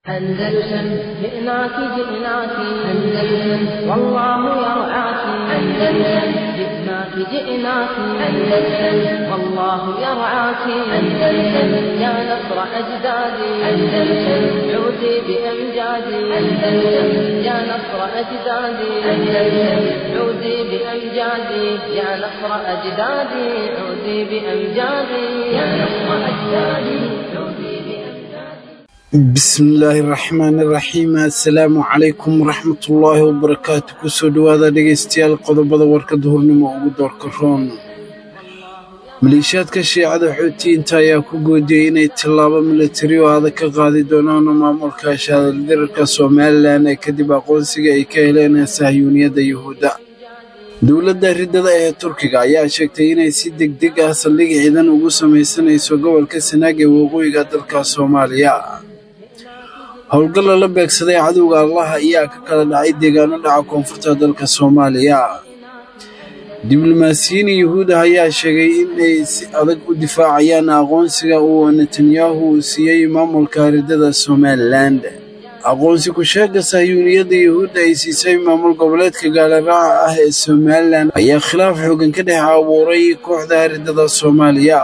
أندلسن جئناك جئناك أندلسن والله يرعاك أندلسن جئناك جئناك أندلسن والله يرعاك أندلسن يا نصر أجدادي أندلسن عودي بأمجادي أندلسن يا نصر أجدادي أندلسن عودي بأمجادي يا نصر أجدادي عودي بأمجادي يا نصر أجدادي عودي. Bismillaahi raxmaani raxiim. Assalaamu calaykum waraxmatullaahi wabarakaatu. Kusoo dhowaada dhegeystayaal qodobada warka duhurnimo ugu doorka roon. Maleeshiyaadka shiicada Xuutiyiinta ayaa ku goodiyey inay tallaabo milatari oo adag ka qaadi doonaan maamulka shaadaldirarka Somalilan ee kadib aqoonsiga ay ka heleen sahyuuniyadda Yuhuudda. Dowladda riddada ee Turkiga ayaa sheegtay inay si degdeg ah saldhig ciidan ugu samaysanayso gobolka Sanaag ee waqooyiga dalka Soomaaliya. Howlgal lala beegsaday cadowga Allaha ayaa ka kala dhacay deegaano dhaca koonfurta dalka Soomaaliya. Diblomaasiyiin Yuhuud ah ayaa sheegay inay si adag u difaacayaan aqoonsiga uu Netanyahu siiyey maamulka riddada Somaliland. Aqoonsi ku-sheegga sahyuuniyadda Yuhuudda ay siisay maamul goboleedka gaalaraaca ah ee Somalilan ayaa khilaaf xoogan ka dhex abuuray kooxda riddada Soomaaliya.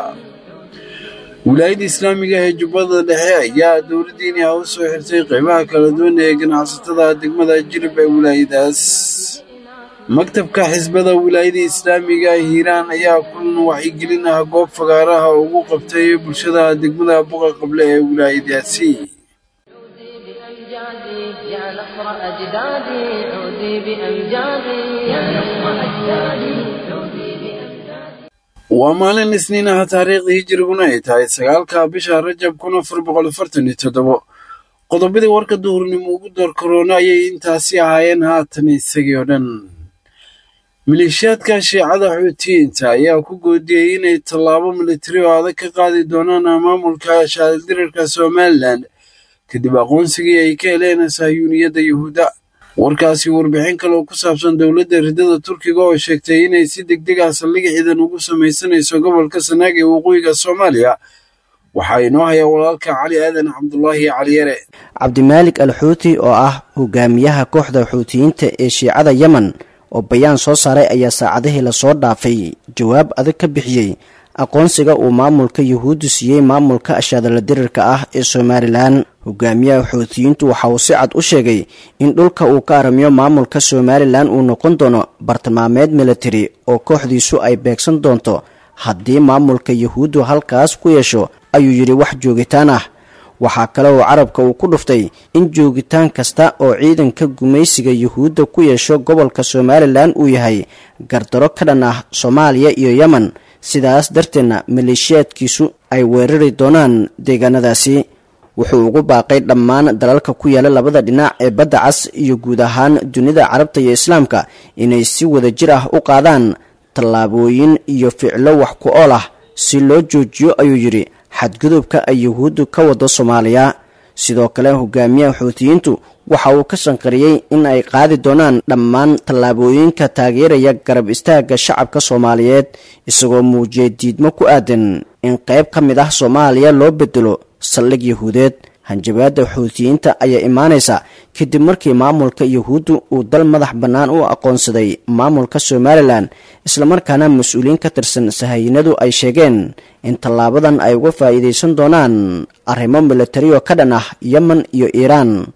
Wilaayadda islaamiga ee Jubbada Dhexe ayaa dowladdiini ah u soo xirtay qeybaha kala duwan ee ganacsatada degmada Jilib ee wilaayadaas. Maktabka xisbada wilaayadda islaamiga Hiiraan ayaa kulan wacyigelin ah goob fagaaraha ugu qabtay bulshada degmada Buqa Qable ee wilaayadaasi. عودي بأمجادي يا نصر أجدادي عودي بأمجادي يا نصر أجدادي عودي بأمجادي. Waa maalin Isniin ah, taariikhda hijriguna ay tahay 9-ka bisha Rajab 1447. Qodobadii warka duhurnimo ugu door karoona ayay intaasi ahaayeen, haatan isagii oo dhan. Maleeshiyaadka shiicada Xuutiyiinta ayaa ku goodiyey inay tallaabo militari oo adag ka qaadi doonaan maamulka shaadildirarka Somalilan kadib aqoonsigii ay ka heleen sahyuuniyadda Yuhuudda. Warkaasi warbixin kale oo ku saabsan dowladda riddada Turkiga oo sheegtay inay si degdeg ah saldhig ciidan ugu samaysanayso gobolka Sanaag ee waqooyiga Soomaaliya waxaa inoo haya walaalka Cali Aadan Cabdulaahi Cali Yare. Cabdimaalik al Xuuti oo ah hogaamiyaha kooxda Xuutiyiinta ee shiicada Yemen oo bayaan soo saaray ayaa saacadihii lasoo dhaafay jawaab adag ka bixiyey aqoonsiga uu maamulka Yuhuuddu siiyey maamulka ashaadala dirirka ah ee Somalilan. Hogaamiyaha Xuutiyiintu waxa uu si cad u sheegay in dhulka uu ka aramiyo maamulka Somalilan uu noqon doono bartilmaameed militari oo kooxdiisu ay beegsan doonto haddii maamulka Yuhuuddu halkaas ku yeesho, ayuu yidhi, wax joogitaan ah. Waxaa kale oo carabka uu ku dhuftay in joogitaan kasta oo ciidanka gumaysiga Yuhuudda ku yeesho gobolka Somalilan uu yahay gardaro ka dhan ah Soomaaliya iyo Yemen, sidaas darteedna maleeshiyaadkiisu ay weerari doonaan deegaanadaasi. Wuxuu ugu baaqay dhammaan dalalka ku yaala labada dhinac ee badda cas iyo guud ahaan dunida Carabta iyo Islaamka inay si wada jir ah u qaadaan tallaabooyin iyo ficlo wax ku ool ah si loo joojiyo, ayuu yidhi, xadgudubka ay Yuhuuddu ka wado Soomaaliya. Sidoo kale hogaamiyaha Xuutiyiintu waxa uu ka sanqariyey in ay qaadi doonaan dhammaan tallaabooyinka taageeraya garab istaagga shacabka Soomaaliyeed, isagoo muujiyey diidmo ku aadan in qayb ka mid ah Soomaaliya loo bedelo saldhig Yuhuudeed. Hanjabaadda Xuutiyiinta ayaa imaanaysa kadib markii maamulka Yuhuuddu uu dal madax bannaan u aqoonsaday maamulka Somalilan, islamarkaana mas-uuliyiin ka tirsan sahayiinadu ay sheegeen in tallaabadan ay uga faa'iidaysan doonaan arrimo militari oo ka dhan ah Yemen iyo Iiraan.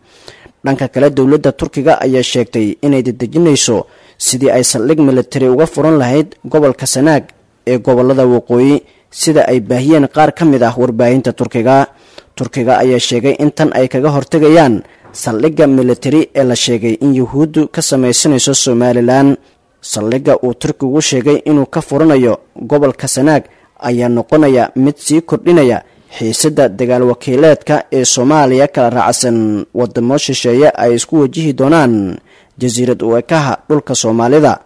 Dhanka kale, dowladda Turkiga ayaa sheegtay inay dedejinayso sidii ay saldhig militari uga furan lahayd gobolka Sanaag ee gobolada waqooyi, sida ay baahiyeen qaar ka mid ah warbaahinta Turkiga. Turkiga ayaa sheegay in tan ay kaga hortegayaan saldhigga militari ee la sheegay in Yuhuuddu ka samaysanayso Somalilan. Saldhigga uu Turkigu sheegay inuu ka furanayo gobolka Sanaag ayaa noqonaya mid sii kordhinaya xiisadda dagaal wakiileedka ee Soomaaliya kala raacsan wadamo shisheeye ay isku wajihi doonaan jasiirad u ekaha dhulka Soomaalida.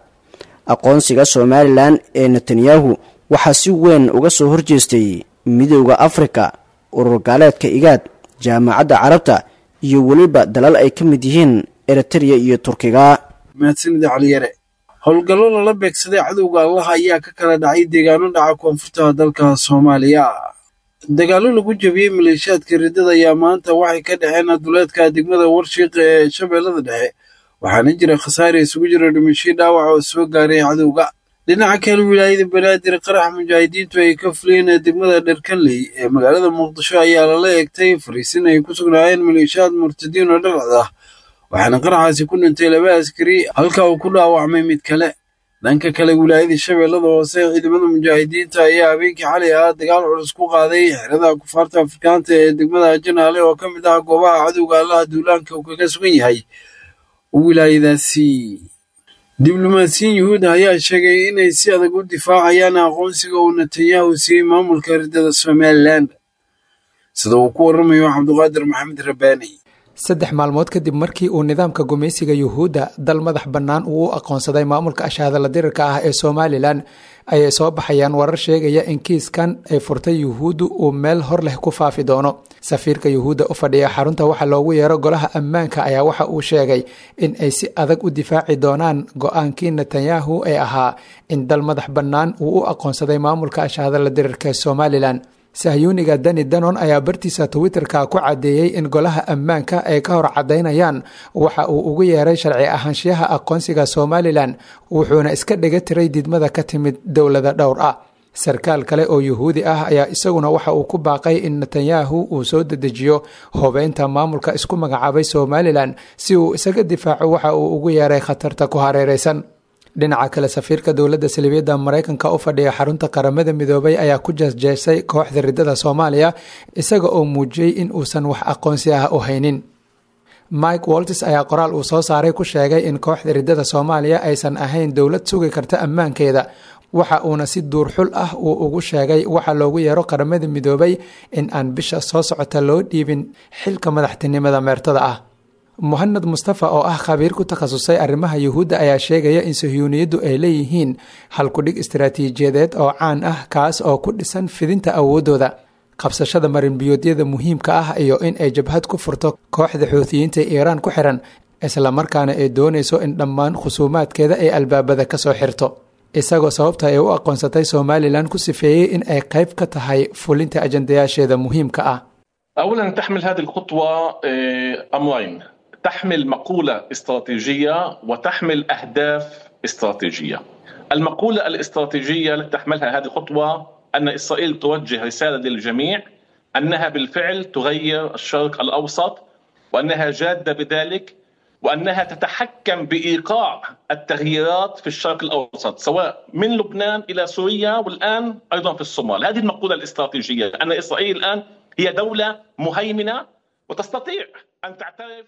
Aqoonsiga Somalilan ee Netanyahu waxaa si weyn uga soo horjeestay Midooda Afrika, urur gaaleedka Igaad, Jaamacadda Carabta iyo weliba dalal ay ka mid yihiin Eritrea iyo Turkiga. Mahadsanida Cali Yare. Howlgallo lala beegsaday cadowga Allaha ayaa ka kala dhacay deegaano dhaca koonfurta dalka Soomaaliya. Dagaallo lagu jabiyey maleeshiyaadka riddada ayaa maanta waxay ka dhexeen duleedka degmada Warshiiq ee Shabeellada Dhexe, waxaana jira khasaare isugu jira dhimasho dhaawac oo soo gaaray cadowga. Dhinaca kale, wilaayada Banaadir, qarax mujaahidiintu ay ka fuliyeen degmada Dharkanley ee magaalada Muqdisho ayaa lala eegtay fariisin ay ku sugnaayeen maleeshiyaad murtadiin oo dhalcad ah, waxaana qaraxaasi ku dhintay 2 askari halka uu ku dhaawacmay mid kale. Dhanka kale, wilaayada Shabeellada Hoose, ciidamada mujaahidiinta ayaa habeenkii xalay ahaa dagaal culus ku qaaday xerada kufaarta Afrikaanta ee degmada Janaale oo ka mid ah goobaha cadowga Allaha duulaanka uu kaga sugan yahay wilaayadaasi. Diblomaasiyiin Yuhuud ayaa sheegay inay si adag u difaacayaan aqoonsiga uu Netanyahu siiyey maamulka riddada Somaliland, sida uu ku waramayo Cabduqaadir Maxamed Rabbaani. 3 maalmood kadib markii uu nidaamka gumaysiga Yuhuudda dal madax bannaan uu u aqoonsaday maamulka ashaadala dirirka ah ee Somalilan, ayay soo baxayaan warar sheegaya in kiiskan ay furtay Yuhuuddu uu meel hor leh ku faafi doono. Safiirka Yuhuudda u fadhiya xarunta waxa loogu yeero golaha ammaanka ayaa waxa uu sheegay in ay si adag u difaaci doonaan go-aankii Netanyahu ee ahaa in dal madax bannaan uu u aqoonsaday maamulka ashaadala dirirka ee Somalilan. Sahyuuniga Dani Danon ayaa bartiisa Twitterka ku caddeeyey in golaha ammaanka ay ka hor caddaynayaan waxa uu ugu yeeray sharci ahaanshiyaha aqoonsiga Somalilan, wuxuuna iska dhiga tiray diidmada ka timid dowlada dhowr ah. Sarkaal kale oo Yuhuudi ah ayaa isaguna waxa uu ku baaqay in Netanyahu uu soo dedejiyo hubeynta maamulka isku magacaabay Somalilan si uu isaga difaaco waxa uu ugu yeeray khatarta ku hareereysan. Dhinaca kale, safiirka dowladda salibiyadda Maraykanka u fadhiya xarunta Qaramada Midoobay ayaa ku jeesjeesay kooxda riddada Soomaaliya, isaga oo muujiyey in uusan wax aqoonsi ah u haynin. Mike Waltis ayaa qoraal uu soo saaray ku sheegay in kooxda riddada Soomaaliya aysan ahayn dowlad sugi karta ammaankeeda, waxa uuna si duurxul ah uu ugu sheegay waxa loogu yeero Qaramada Midoobay in aan bisha soo socota loo dhiibin xilka madaxtinimada meertada ah. Mohamed Mustafa oo ah khabiir ku takhasusay arrimaha Yuhuudda ayaa sheegaya in sahyuuniyaddu ay leeyihiin halkudhig istaraatiijiyadeed oo caan ah, kaas oo ku dhisan fidinta awooddooda, qabsashada marinbiyoodyada muhiimka ah iyo in ay jabhad ku furto kooxda Xuutiyiinta Iiraan ku xiran, islamarkaana ay doonayso in dhammaan khusuumaadkeeda ay albaabada ka soo xirto. Isagoo sababta ay u aqoonsatay Somalilan ku sifeeyey in ay qayb ka tahay fulinta ajandayaasheeda muhiimka ah. أولا تحمل هذه الخطوة أمرين، تحمل مقولة استراتيجية وتحمل أهداف استراتيجية. المقولة الاستراتيجية التي تحملها هذه الخطوة أن إسرائيل توجه رسالة للجميع أنها بالفعل تغير الشرق الأوسط، وأنها جادة بذلك، وأنها تتحكم بإيقاع التغييرات في الشرق الأوسط سواء من لبنان إلى سوريا والآن أيضا في الصومال. هذه المقولة الاستراتيجية أن إسرائيل الآن هي دولة مهيمنة وتستطيع أن تعترف.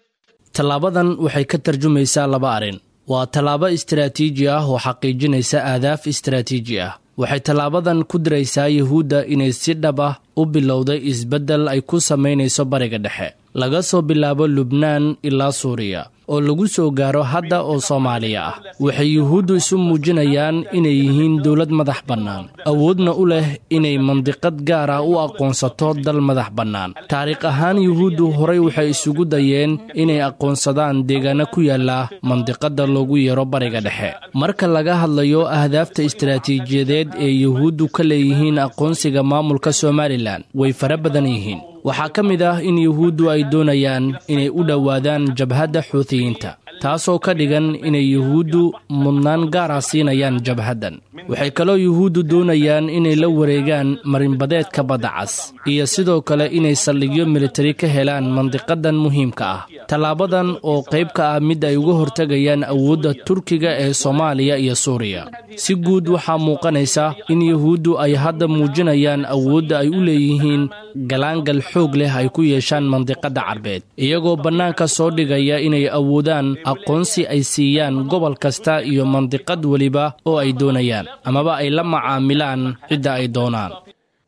Tallaabadan waxay ka tarjumaysaa laba arrin. Waa tallaabo istaraatiiji ah oo xaqiijinaysa ahdaaf istaraatiiji ah. Waxay tallaabadan ku diraysaa Yuhuudda inay si dhab ah u bilowday isbeddel ay ku samaynayso Bariga Dhexe, laga soo bilaabo Lubnaan ilaa Suuriya, oo lagu soo gaaro hadda oo Soomaaliya ah. Waxay Yuhuuddu isu muujinayaan inay yihiin dowlad madax bannaan, awoodna u leh inay mandiqad gaar ah u aqoonsato dal madax bannaan. Taariikh ahaan, Yuhuuddu horay waxay isugu dayeen inay aqoonsadaan deegaano ku yaalla mandiqadda loogu yeero Bariga Dhexe. Marka laga hadlayo ahdaafta istaraatiijiyadeed ee Yuhuuddu ka leeyihiin aqoonsiga maamulka Somalilan, way fara badan yihiin. Waxaa ka mid ah in Yuhuuddu ay doonayaan inay u dhowaadaan jabhadda Xuutiyiinta, taasoo ka dhigan inay Yuhuuddu mudnaan gaar ah siinayaan jabhaddan. Waxay kaloo Yuhuuddu doonayaan inay la wareegaan marinbadeedka Badda Cas, iyo sidoo kale inay saldhigyo militari ka helaan mandiqadan muhiimka ah. Tallaabadan oo qayb ka ah mid ay uga hortegayaan awoodda Turkiga ee Soomaaliya iyo Suuriya. Si guud, waxaa muuqanaysa in Yuhuuddu ay hadda muujinayaan awoodda ay u leeyihiin galaangal xoog leh ay ku yeeshaan mandiqadda Carbeed, iyagoo bannaanka soo dhigaya inay awoodaan aqoonsi ay siiyaan gobol kasta iyo mandiqad weliba oo ay doonayaan, amaba ay la macaamilaan cidda ay doonaan.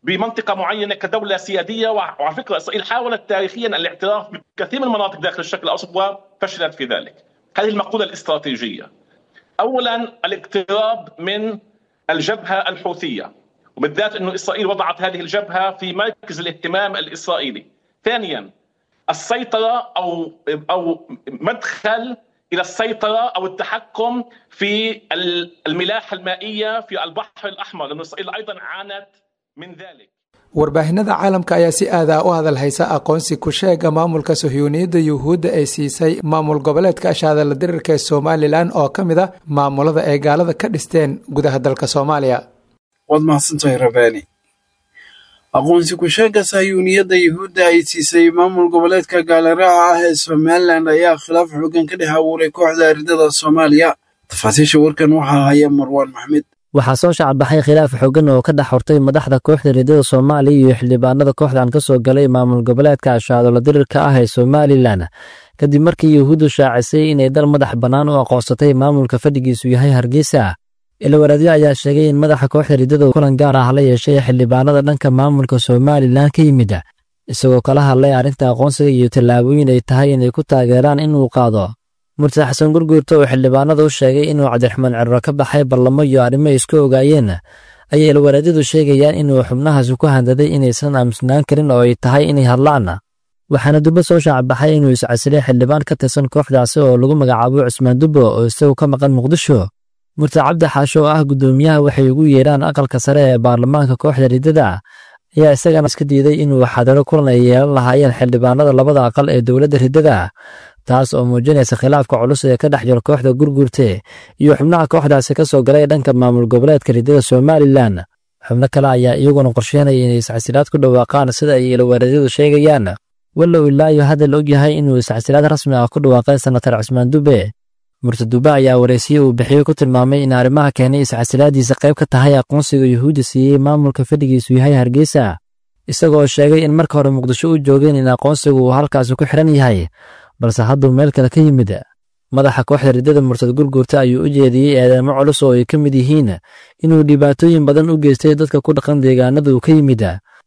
بمنطقة معينة كدولة سيادية. وعلى فكرة إسرائيل حاولت تاريخيا الاعتراف بكثير من المناطق داخل الشرق الأوسط وفشلت في ذلك. هذه المقولة الاستراتيجية، أولا الاقتراب من الجبهة الحوثية، وبالذات أن إسرائيل وضعت هذه الجبهة في مركز الاهتمام الإسرائيلي. ثانيا السيطرة أو مدخل إلى السيطرة أو التحكم في الملاحة المائية في البحر الأحمر، لأن إسرائيل أيضا عانت من ذلك. Warbaahinada caalamka ayaa si aad ah u hadal haysa aqoonsi ku sheega maamulka sahyuuniyadda Yuhuudda ay siisay maamul goboleedka ashaadala dirirka ee Somalilan oo ka mid a maamulada ay gaalada ka dhisteen gudaha dalka Soomaaliya. Waad mahadsantahay Rabaani. Aqoonsi ku sheega sahyuuniyadda Yuhuudda ay siisay maamul goboleedka gaalaraaca ah ee Somalilan ayaa khilaaf xoogan ka dhex abuuray kooxda ridada Soomaaliya. Tafaasiisha warkan waxaa haya Marwaan Maxmed. Waxaa soo shacbaxay khilaaf xooggan oo ka dhex hortay madaxda kooxda ridada Soomaaliya iyo xildhibaanada kooxdan ka soo galay maamul goboleedka ashaadolo dirirka ah ee Somalilan, kadib markii Yuhuuddu shaacisay inay dal madax bannaan u aqoonsatay maamulka fadhigiisu yahay Hargeysa. Ilowaraadyo ayaa sheegay in madaxa kooxda ridada kulan gaar ah la yeeshay xildhibaanada dhanka maamulka Somalilan ka yimid, isagoo kala hadlay arrinta aqoonsiga iyo tallaabooyin ay tahay inay ku taageeraan inuu qaado. Murtad Xasan Gurguurto oo xildhibaanada u sheegay inuu Cabdiraxmaan Cirro ka baxay ballamo iyo arrimo ay isku ogaayeen, ayay ilwaraadyadu sheegayaan inuu xubnahaasi ku handaday inaysan aamusnaan karin oo ay tahay inay hadlaan. Waxaana Dubbe soo shaacbaxay inuu iscasilay xildhibaan ka tirsan kooxdaasi oo lagu magacaabo Cusmaan Dubbo oo isagu ka maqan Muqdisho. Murtad Cabdi Xaasho oo ah guddoomiyaha waxay ugu yeedhaan aqalka sare ee baarlamaanka kooxda ridada ayaa isagana iska diiday inuu xadaro kulan ay yeelan lahaayeen xildhibaanada labada aqal ee dowladda ridada, taas oo muujinaysa khilaafka culus ee ka dhex jira kooxda Gurguurte iyo xubnaha kooxdaasi ka soo galay dhanka maamul goboleedka ridada Somalilan. Xubno kale ayaa iyaguna qorsheynaya inay iscasilaad ku dhawaaqaan sida ay ilowaadyadu sheegayaan, walow ilaa iyo hadda la ogyahay inuu iscasilaad rasmi ah ku dhawaaqay senatar Cusmaan Dube. Murtad Dube ayaa wareysiye uu bixiyo ku tilmaamay in arrimaha keenay iscasilaadiisa qayb ka tahay aqoonsiga Yuhuudda siiyey maamulka fadhigiisu yahay Hargeysa, isagoo sheegay in marka hore Muqdisho u joogeen in aqoonsigu uu halkaasi ku xiran yahay, balse hadduu meel kale ka yimid. Madaxa kooxda ridada Murtad Gurguurta ayuu u jeediyey eedeemo culus oo ay ka mid yihiin inuu dhibaatooyin badan u geystay dadka ku dhaqan deegaanada uu ka yimid,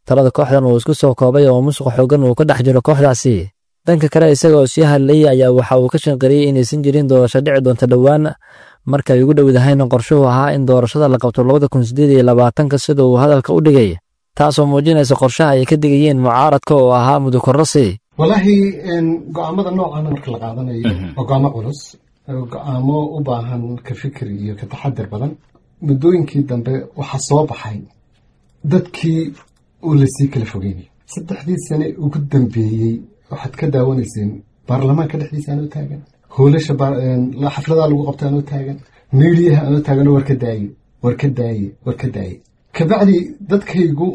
talada kooxdan uu isku soo koobay oo musuq xoogan uu ka dhex jiro kooxdaasi. Dhanka kale, isagoo sii hadlayay ayaa waxa uu ka shanqariyey inaysan jirin doorasho dhici doonta dhowaan, markay ugu dhowdahayna qorshuhu ahaa in doorashada la qabto 2028-ka sida uu hadalka u dhigay, taasoo muujinaysa qorshaha ay ka digayeen mucaaradka oo ahaa mudukororsi. Walaahi, go'aamada noocan marka la qaadanayo waa go'aamo culus, go'aamo u baahan ka fikir iyo ka taxadir badan. Muddooyinkii dambe waxaa soo baxay dadkii oo lasii kala fogeynay. 3dii sane ugu dambeeyey waxaad ka daawanayseen baarlamaanka dhexdiisa anoo taagan, hoolasha xafladaa lagu qabta anoo taagan, meeliyaha anoo taaganoo war ka daaye, war ka daaye, war ka daaye. Kabacdi dadkaygu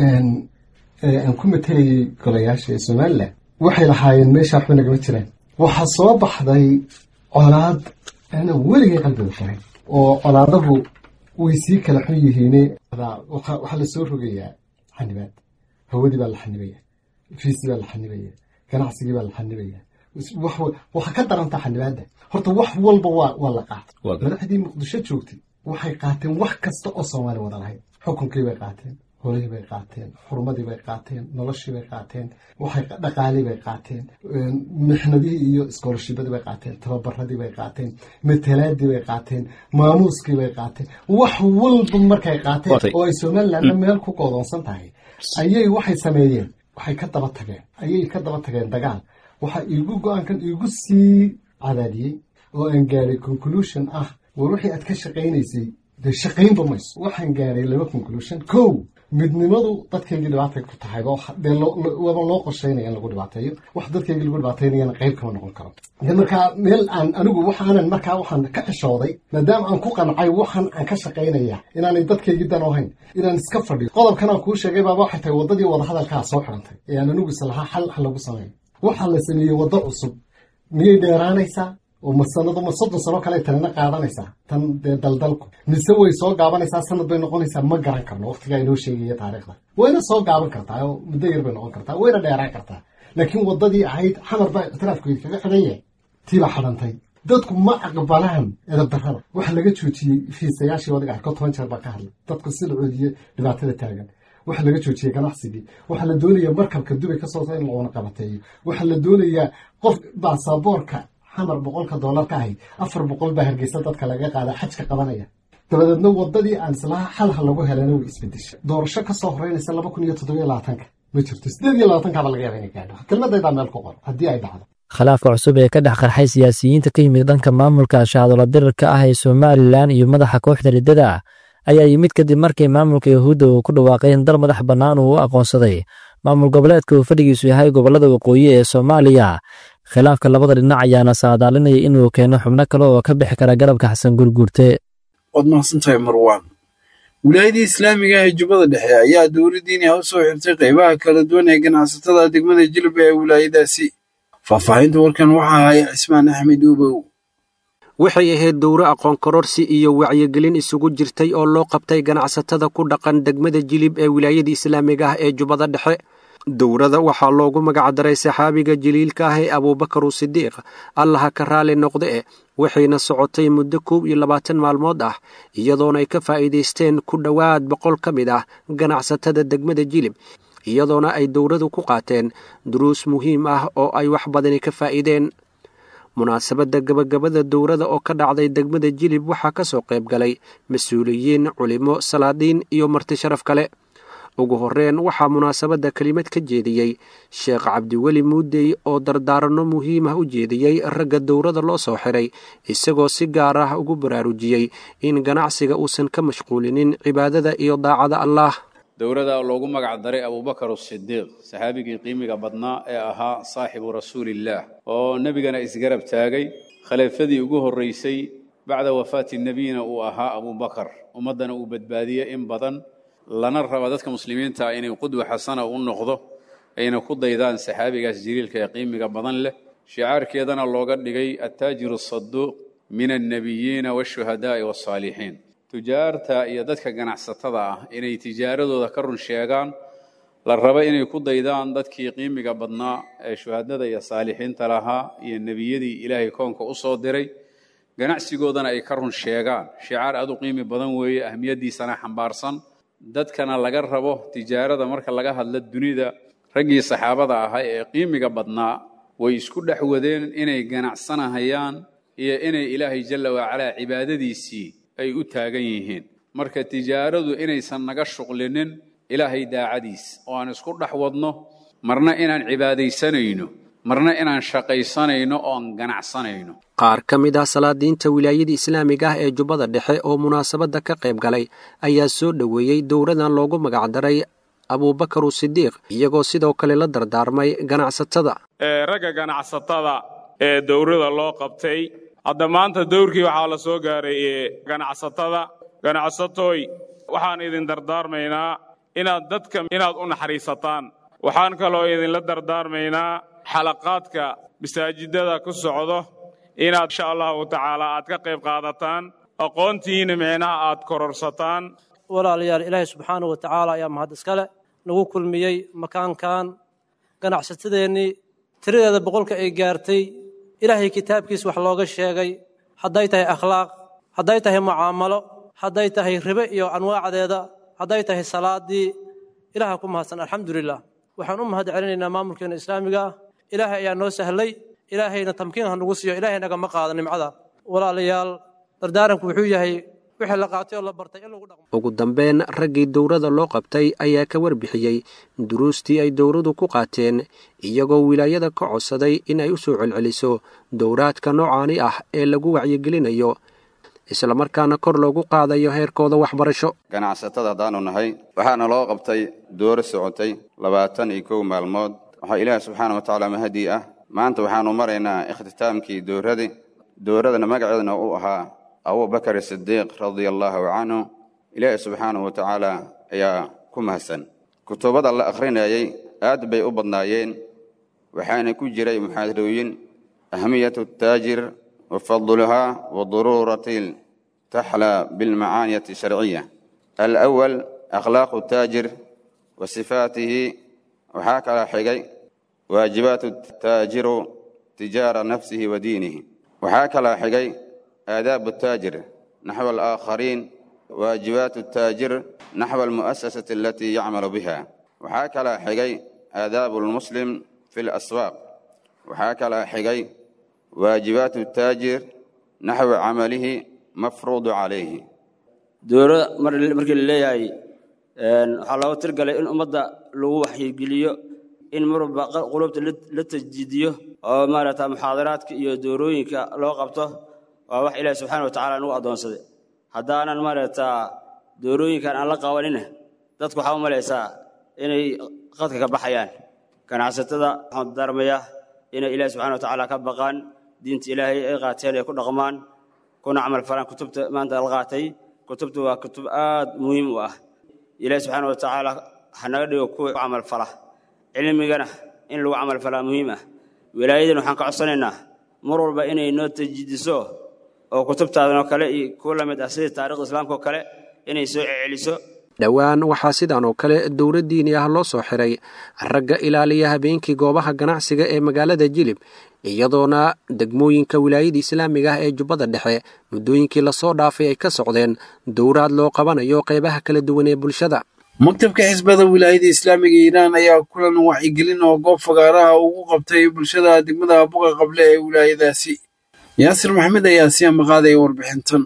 aan ku matelayay golayaasha ee Somalilan waxay lahaayeen meesha waxba nagama jiraan. Waxaa soo baxday colaad ana weligay qalbiga furay, oo colaadahu way sii kala xun yihiine. Waxaa la soo rogayaa xanibaad, hawadii baa la xanibaya, fiisi baa la xanibaya, ganacsigii baa la xanibaya. Waxa ka darantaa xanibaadda horta wax walba waa la qaatay. Madaxdii Muqdisho joogtay waxay qaateen wax kasta oo Soomaali wada lahayd. Xukunkii bay qaateen, holihii bay qaateen, xurmadii bay qaateen, noloshii bay qaateen, waxay dhaqaalii bay qaateen, mixnadihii iyo iskoolashibadii bay qaateen, tababaradii bay qaateen, matalaadii bay qaateen, maamuuskii bay qaateen. Wax walba markay qaateen oo ay Somalilandna meel ku goodoonsan tahay, ayay waxay sameeyeen, waxay ka daba tageen, ayay ka daba tageen dagaal. Waxaa iigu go-aankan iigu sii cadaadiyey oo aan gaaray conclusion ah, war wixii aad ka shaqaynaysay dee shaqaynba mayso. Waxaan gaaray laba conclusion. Kow, midnimadu dadkaygii dhibaatay ku tahayba, dee waba loo qorsheynaya in lagu dhibaateeyo. Wax dadkaygii lagu dhibaateynayana qayb kama noqon karo. De markaa meel aan anigu waxaanan markaa waxaan ka xishooday, maadaama aan ku qancay waxaan aan ka shaqaynaya inaanay dadkaygii dan ahayn, inaan iska fadhiyo. Qodobkan aan kuu sheegay baaba waxay tahay waddadii wadahadalkaa soo xidhantay ee aan anigu is lahaa xal ha lagu sameeyo. Waxaa la sameeyey waddo cusub. Miyay dheeraanaysaa oo ma sanado, ma 30 sano kale tanina qaadanaysaa tan dee daldalku, mise way soo gaabanaysaa, sanad bay noqonaysaa? Ma garan karno, waqtigaa inoo sheegaya taariikhda. Wayna soo gaaban kartaa oo muddo yar bay noqon kartaa, wayna dheeraan kartaa. Laakiin waddadii ahayd Xamar baa ictiraafkeedi kaga xidhan yahay, tii baa xidhantay. Dadku ma aqbalaan edab darrada. Waxa laga joojiyey fiisayaashii, wadiga arko, 10 jeer baa ka hadlay dadku sida coodiye dhibaatada taagan. Waxaa laga joojiyey ganacsigii. Waxaa la doonayaa markabka Dubay ka soo in loona qabateeyo. Waxaa la doonayaa qof baasaboorka Xamar 100-ka doolar ka ahayd, 400 baa Hargeysa dadka laga qaada xajka qabanaya. Dabadeedna waddadii aan islaha xalha lagu helana way isbedeshay. Doorasho ka soo horeynaysa 2027-ka ma jirto, 28-kaaba laga yaaba inay gaadho. Kelmadaydaa meel ku qor haddii ay dhacdo. Khilaafka cusub ee ka dhex qarxay siyaasiyiinta ka yimid dhanka maamulka shahaadolo dirirka ah ee Somalilan iyo madaxa kooxda riddada ayaa yimid kadib markii maamulka yuhuudda uu ku dhawaaqay in dal madax bannaan uu u aqoonsaday maamul goboleedka uu fadhigiisu yahay gobollada waqooyi ee Soomaaliya. Khilaafka labada dhinac ayaana saadaalinaya inuu keeno xubno kale oo ka bixi kara garabka Xasan Gurguurte. Waad mahadsantahay Marwaan. Wilaayadii islaamiga ah ee Jubbada Dhexe ayaa dowladdiini u soo xirtay qaybaha kala duwan ee ganacsatada degmada Jilba ee wilaayadaasi. Faahfaahinta warkan waxaa haya Cismaan Axmed Uubow. Waxay ahayd dowro aqoon kororsi iyo wacyigelin isugu jirtay oo loo qabtay ganacsatada ku dhaqan degmada Jilib ee wilaayada islaamiga ah ee Jubbada Dhexe. Dowrada waxaa loogu magacdaray saxaabiga jaliilka ah ee Abuubakar Sidiiq, Allaha ka raali noqde, waxayna socotay muddo 21 maalmood ah, iyadoona ay ka faa'iidaysteen ku dhowaad 100 ka mid ah ganacsatada degmada Jilib, iyadoona ay dowradu ku qaateen duruus muhiim ah oo ay wax badani ka faa'iideen. Munaasabadda gabagabada dowrada oo ka dhacday degmada Jilib waxaa ka soo qayb galay mas-uuliyiin, culimo, salaadiin iyo marti sharaf kale. Ugu horreyn waxaa munaasabadda kelimad ka jeediyey Sheekh Cabdiweli Muudey oo dardaaranno muhiim ah u jeediyey ragga dowrada loo soo xiray, isagoo si gaar ah ugu baraarujiyey in ganacsiga uusan ka mashquulinin cibaadada iyo daacada Allaah. Dowrada loogu magac daray Abuubakar Sidiiq, saxaabigii qiimiga badnaa ee ahaa saaxibu rasuulillaah oo nebigana isgarab taagay, khaliifadii ugu horreysay bacda wafaati nebiyina uu ahaa Abuubakar, ummaddana uu badbaadiyey in badan, lana raba dadka muslimiinta inay qudwa xasana u noqdo, ayna ku daydaan saxaabigaas jaliilka ee qiimiga badan leh. Shicaarkeedana looga dhigay attaajiru asaduuq min annebiyiina waashuhadaa'i waalsaalixiin. Tujaarta iyo dadka ganacsatada ah inay tijaaradooda ka run sheegaan, la raba inay ku daydaan dadkii qiimiga badnaa ee shuhadada iyo saalixiinta lahaa iyo nebiyadii Ilaahay koonka u soo diray, ganacsigoodana ay ka run sheegaan. Shicaar aad u qiimi badan weeye, ahmiyaddiisana xambaarsan. Dadkana laga rabo tijaarada marka laga hadlo dunida, raggii saxaabada ahaa ee qiimiga badnaa way isku dhex wadeen inay ganacsanahayaan iyo inay Ilaahay jalla wacalaa cibaadadiisii ay u taagan yihiin. Marka tijaaradu inaysan naga shuqlinin Ilaahay daacadiis, oo aan isku dhex wadno marna inaan cibaadaysanayno, marna inaan shaqaysanayno oo aan ganacsanayno. Qaar ka mid ah salaadiinta wilaayada islaamiga ah ee Jubbada Dhexe oo munaasabadda ka qayb galay ayaa soo dhoweeyey dowradan loogu magacdaray Abuubakar Sidiiq, iyagoo sidoo kale la dardaarmay ganacsatada. Ragga ganacsatada ee dowrada loo qabtay hadda maanta dowrkii waxaa la soo gaaray ganacsatada. Ganacsatooy, waxaan idin dardaarmaynaa inaad dadka inaad u naxariisataan. Waxaan kaloo idinla dardaarmaynaa xalaqaadka masaajidada ku socdo inaad insha Allahu tacaala aad ka qayb qaadataan, aqoontiina micnaha aad kororsataan. Walaalayaal, Ilaahay subxaanahu wa tacaala ayaa mahad iskale nagu kulmiyey makaankan. Ganacsatadeennii tiradeeda 100-ka ay gaartay, Ilaahay kitaabkiis wax looga sheegay, hadday tahay akhlaaq, hadday tahay mucaamalo, hadday tahay ribe iyo anwaacdeeda, hadday tahay salaadii, Ilaaha ku mahadsan, alxamdulilah. Waxaan u mahad celinaynaa maamulkeena islaamiga ah. Ilaahay ayaa noo sahlay, Ilaahayna tamkiin ha nagu siiyo, Ilaahay nagama qaado nimcada. Walaalayaal, dardaaranku wuxuu yahay wixii la qaatay oo la bartay in lagu dhaqmo. Ugu dambeyn raggii dowrada loo qabtay ayaa ka warbixiyey duruustii ay dowradu ku qaateen, iyagoo wilaayada ka codsaday in ay u soo celceliso dowraadka noocaani ah ee lagu wacyigelinayo, islamarkaana kor loogu qaadayo heerkooda waxbarasho. Ganacsatada haddaanu nahay, waxaana loo qabtay dooro socotay 21 maalmood. Waxaa Ilaahi subxaana wa tacaala mahadii ah, maanta waxaanu maraynaa ikhtitaamkii dowradii. Dowradana magaceedna uu ahaa Abuubakar Sidiiq radia allaahu canhu. Ilaahi subxaanahu wa tacaala ayaa ku mahadsan. Kutubada la akhrinayay aad bay u badnaayeen, waxaana ku jiray muxaadarooyin ahmiyatu taajir wa fadluhaa wa daruurati taxlaa bilmacaaniyati sharciya. Alawal akhlaaqu taajir wa sifaatihi. Waxaa kala xigay waajibaatu taajiru tijaara nafsihi wa diinihi. Waxaa kala xigay aadaabu taajir naxwa alaakhariin, waajibaatu taajir naxwa almu'asasati alatii yacmalu biha. Waxaa kala xigay aadaabu lmuslim fi laswaaq. Waxaa kala xigay waajibaatu taajir naxwa camalihi mafruudu calayhi. Dowlada markii la leeyahay waxaa looga tirgalay in ummadda lagu waxyigeliyo, in marwalba qulubta la tajdiidiyo oo maaragta muxaadaraadka iyo doorooyinka loo qabto. Waa wax Ilaahi subxaana wa tacaala nagu addoonsaday. Haddaanan maaragtaa Doorooyinkan aan la qabanina dadku waxaa u malaysaa inay qadka ka baxayaan. Ganacsatada waxaan darmayaa inay Ilaahi subxaana wa tacaala ka baqaan, diinta Ilaahay ay qaateen ay ku dhaqmaan, kuna camal falaan kutubta maanta la qaatay. Kutubtu waa kutub aad muhiim u ah. Ilaahi subxaana wa tacaala ha naga dhigo kuwa camal fala, cilmigana in lagu camal falaa muhiim ah. Wilaayadan waxaan ka codsanaynaa mar walba inay noo tajidiso oo kutubtaadan oo kale iyo kuwa la mid ah sida taariikhda islaamka oo kale inay soo celiso. Dhowaan waxaa sidaan oo kale dowlad diini ah loo soo xiray ragga ilaaliya habeenkii goobaha ganacsiga ee magaalada Jilib, iyadoona degmooyinka wilaayada islaamiga ah ee Jubbada Dhexe muddooyinkii lasoo dhaafay ay ka socdeen dowraad loo qabanayo qaybaha kala duwan ee bulshada. Maktabka xisbada wilaayada islaamiga Iiraan ayaa kulan wacyigelin oo goob fagaaraha ugu qabtay bulshada degmada Buqa Qable ee wilaayadaasi. Yaasir Maxamed ayaa si amaqaadaya warbixintan.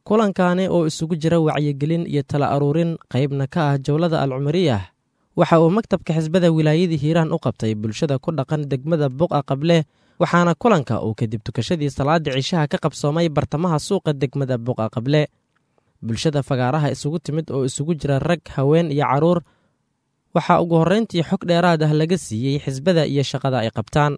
Kulankaani oo isugu jira wacyigelin iyo tala aruurin qaybna ka ah jowlada Alcumariyah, waxa uu maktabka xisbada wilaayada Hiiraan u qabtay bulshada ku dhaqan degmada Buqa Qable, waxaana kulanka uu kadib tukashadii salaada cishaha ka qabsoomay bartamaha suuqa degmada Buqa Qable. Bulshada fagaaraha isugu timid oo isugu jira rag, haween iyo carruur, waxaa ugu horrayntii xog dheeraad ah laga siiyey xisbada iyo shaqada ay qabtaan.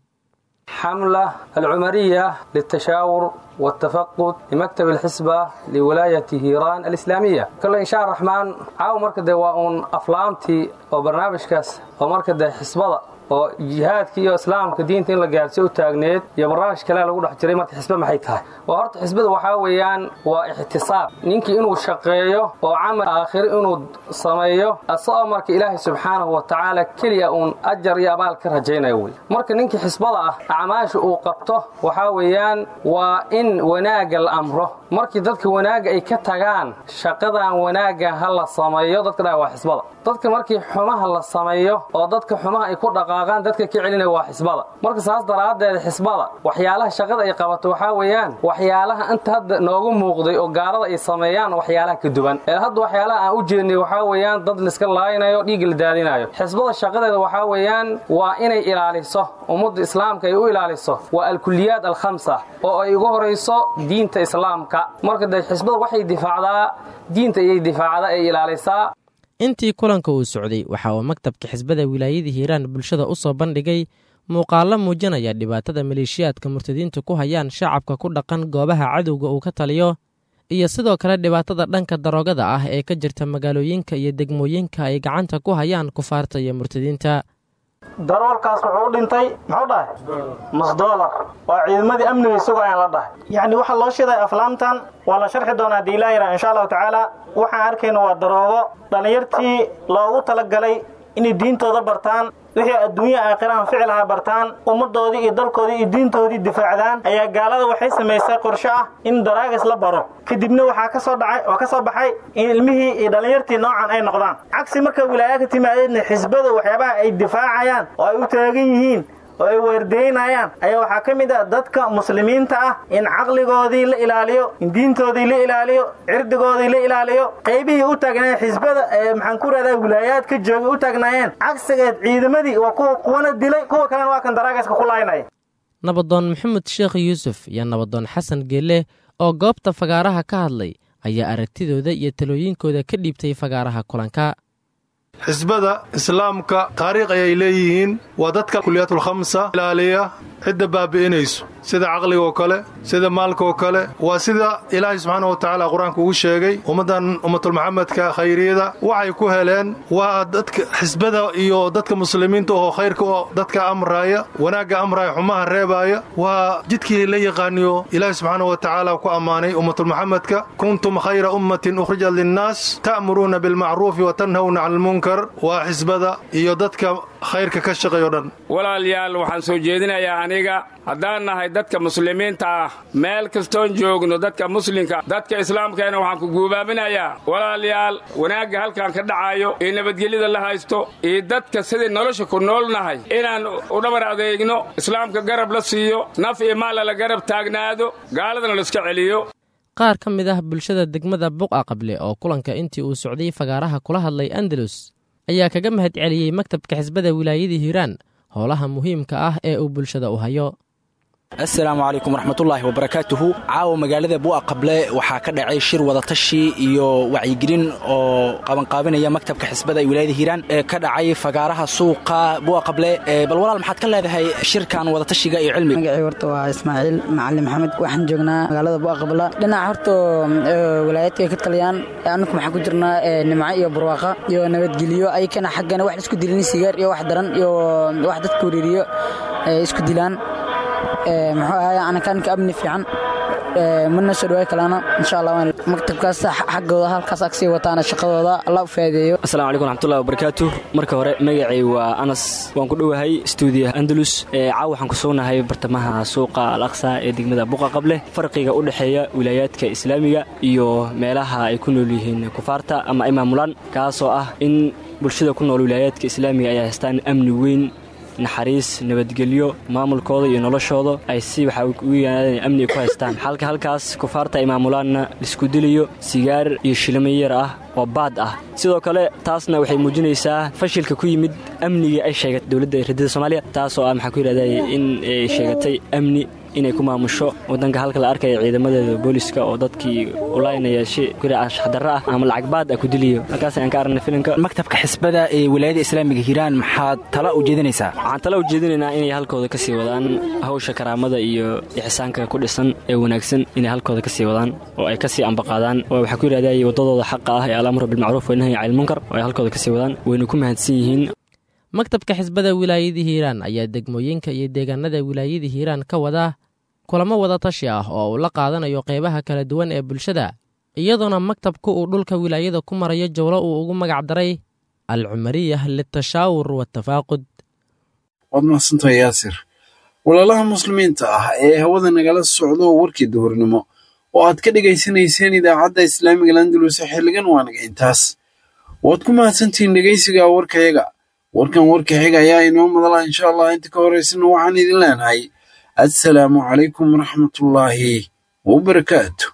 حملة العمرية للتشاور والتفقد لمكتب الحسبة لولاية هيران الإسلامية. كل إن شاء الرحمن عاو مركز واون أفلامتي وبرنامج كاس ومركز حسبة oo jihaadka iyo islaamka diinta in la gaarsiiyo u taagneed iyo barnaamij kale lagu dhex jiray. Marka xisbe maxay tahay? Waa horta xisbada waxaa weeyaan waa ixtisaab, ninkii inuu shaqeeyo oo camal aakhiro inuu sameeyo, asagoo marka Ilaahay subxaanahu wa tacaala keliya uun ajar iyo abaal ka rajaynayo wey. Marka ninkii xisbada ah acmaasha uu qabto waxaa weeyaan waa in wanaagga la amro, markii dadka wanaagga ay ka tagaan shaqadan wanaagga ha la sameeyo dadka dhaa waa xisbada. Dadka markii xumaha la sameeyo oo dadka xumaha ay ku dhaqaaqaan, dadka ka celinaya waa xisbada. Marka saas daraaddeed xisbada waxyaalaha shaqada ay qabato waxaa weeyaan waxyaalaha inta hadda noogu muuqday oo gaalada ay sameeyaan waxyaalaha ka duwan ee hadda waxyaalaha aan u jeednay waxaa weeyaan dad liska laaynayo, dhiigga la daadinayo. Xisbada shaqadeeda waxaa weeyaan waa inay ilaaliso ummadda islaamka, ay u ilaaliso waa alkuliyaad alkhamsa oo ay ugu horayso diinta islaamka. Marka dee xisbada waxay difaacdaa diinta ayay difaacdaa, ay ilaalisaa. Intii kulanka uu socday waxa uu maktabka xisbada wilaayada Hiiraan bulshada u soo bandhigay muuqaallo muujinaya dhibaatada maleeshiyaadka murtadiintu ku hayaan shacabka ku dhaqan goobaha cadowga uu ka taliyo, iyo sidoo kale dhibaatada dhanka daroogada ah ee ka jirta magaalooyinka iyo degmooyinka ay gacanta ku hayaan kufaarta iyo murtadiinta. Daroolkaas wuxuu u dhintay muxuu dhahay nus doolar, waa ciidamadii amniga isago ayaan la dhahay. Yacni waxaa loo shiday aflaamtan waa la sharxi doonaa haddii Ilaah yaraa insha Allahu tacaala. Waxaan arkayna waa daroogo dhallinyartii loogu talagalay inay diintooda bartaan, wixii adduunya aakhirahan ficilaha bartaan, ummaddoodii iyo dalkoodii iyo diintoodii difaacdaan, ayaa gaalada waxay samaysay qorshe ah in daraagis la baro. Kadibna waxaa ka soo dhacay oo ka soo baxay in ilmihii iyo dhallinyartii noocan ay noqdaan. Cagsi marka wilaaya ka timaadeedna xisbada waxyaabaha ay difaacayaan oo ay u taagan yihiin oo ay weerdeynayaan ayaa waxaa ka mid ah dadka muslimiinta ah in caqligoodii la ilaaliyo, in diintoodii la ilaaliyo, cirdigoodii la ilaaliyo. Qaybihii u taagnaayeen xisbada ee maxaan ku rahdaa wilaayaad ka joogay u taagnaayeen cagsigeed ciidamadii waa kuwa kuwana dilay, kuwa kalena waa kan daraagaska ku laaynaya. Nabadoon Maxamed Sheekh Yuusuf iyo nabadoon Xasan Geelle oo goobta fagaaraha ka hadlay ayaa aragtidooda iyo talooyinkooda ka dhiibtay fagaaraha kulanka. Xisbada islaamka taariikh ayay leeyihiin, waa dadka kuliyaatul khamsa ilaaliya, cidda baabi'inayso sida caqligaoo kale, sida maalkaoo kale. Waa sida Ilaahay subxaana wa tacaala qur-aanka ugu sheegay ummaddan ummatulmuxamedka khayriyada waxay ku heleen waa dadka xisbada iyo dadka muslimiinta oo khayrka oo dadka amraaya, wanaagga amraaya, xumaha reebaaya. Waa jidkii la yaqaaniyo Ilaahay subxaana wa tacaala ku ammaanay ummatulmuxamedka: kuntum khayra ummatin ukhrijat linnaas ta'muruuna bilmacruufi wa tanhawna cani almunkar. Waa xisbada iyo dadka khayrka ka shaqeeyo dhan. Walaalayaal, waxaan soo jeedinayaa aniga haddaan nahay dadka muslimiinta ah meel kastoon joogno, dadka muslimka, dadka islaamkeena, waxaan ku guubaaminayaa walaalayaal wanaagga halkan ka dhacayo iyo nabadgelyada la haysto iyo dadka sidii nolosha ku nool nahay inaan u dhabar adeegno, islaamka garab la siiyo, naf iyo maalla la garab taagnaado, gaaladana la iska celiyo. Qaar ka mid ah bulshada degmada Buqa Qable oo kulanka intii uu socday fagaaraha kula hadlay Andalus ayaa kaga mahad celiyey maktabka xisbada wilaayada Hiiraan howlaha muhiimka ah ee uu bulshada u hayo. Assalaamu calaykum waraxmatullaahi wabarakaatuhu. Caawa magaalada Bu'a Qable waxaa ka dhacay shir wadatashi iyo wacyigelin oo qabanqaabinaya maktabka xisbada ee wilaayada Hiiraan ee ka dhacay fagaaraha suuqa Bu'a Qable. Bal walaal, maxaad ka leedahay shirkan wadatashiga iyo cilmiga? Magacii horta waa Ismaaciil Macalin Maxamed. Waxaan joognaa magaalada Bu'a Qable. Dhinaca horta wilaayadka ay ka taliyaan, annagu maxaan ku jirnaa nimco iyo barwaaqa iyo nabadgelyo. Ayakana xaggana wax isku dilin, sigaar iyo wax daran iyo wax dadka wareeriyo isku dilaan. Muxuu ahaay, anakanka amni fiican mana soo dhawaay kalaana, insha Allah maktabkaas xaggooda halkaas ag sii wataana shaqadooda, Allah u faa'iideeyo. Assalaamu calaykum waraxmatullahi wabarakaatuh. Marka hore magacay waa Anas, waan ku dhowahay stuudiyaha Andalus. Caawa waxaan ku sugnahay bartamaha suuqa Al Aqsa ee degmada Buqa Qable. Farqiga u dhexeeya wilaayaadka islaamiga iyo meelaha ay ku nool yihiin kufaarta ama ay maamulaan, kaasoo ah in bulshada ku nool wilaayaadka islaamiga ay haystaan amni weyn, naxariis, nabadgelyo, maamulkooda iyo noloshooda ay si waxa ugu yimaadeen amni ku haystaan, halka halkaas kufaarta ay maamulaanna laisku dilayo sigaar iyo shilimo yar ah oo baad ah. Sidoo kale taasna waxay muujinaysaa fashilka ku yimid amnigii ay sheegatay dowladda ridada Soomaaliya, taasoo ah maxaa ku yidhahday in ay sheegatay amni inay ku maamusho wadanka, halka la arkaya ciidamadeeda booliska oo dadkii ulaynaya shi anshaxdarro ah ama lacag baad ah ku diliyo. Halkaas ayaan ka aragnay filimka. Maktabka xisbada ee wilaayada islaamiga Hiiraan, maxaad tala u jeedinaysaa? Waxaan tala u jeedinaynaa inay halkooda kasii wadaan hawsha karaamada iyo ixsaanka ku dhisan ee wanaagsan, inay halkooda kasii wadaan oo ay kasii ambaqaadaan oo waxaa ku yidhahday waddadooda xaqa ah ee alamru bilmacruuf wanahyi cani lmunkar oo ay halkooda kasii wadaan. Wayna ku mahadsan yihiin. Maktabka xisbada wilaayada Hiiraan ayaa degmooyinka iyo deegaanada wilaayada Hiiraan ka wada kulamo wadatashi ah oo uu la qaadanayo qeybaha kala duwan ee bulshada, iyadoona maktabku uu dhulka wilaayada ku marayo jawlo uu ugu magac daray Alcumariyah litashaawur watafaaqud. Waad mahadsantahay, Yaasir. Walaalaha muslimiinta ah ee hawada nagala socdo, warkii duhurnimo oo aad ka dhegaysanayseen idaacadda islaamiga Landulus xilligan waa naga intaas. Waad ku mahadsantihiin dhegaysiga warkayaga. Warkan warka xiga ayaa inoo madala, insha Allah. Inta ka horeysana waxaan idin leenahay assalaamu calaykum waraxmatullaahi wabarakaatu.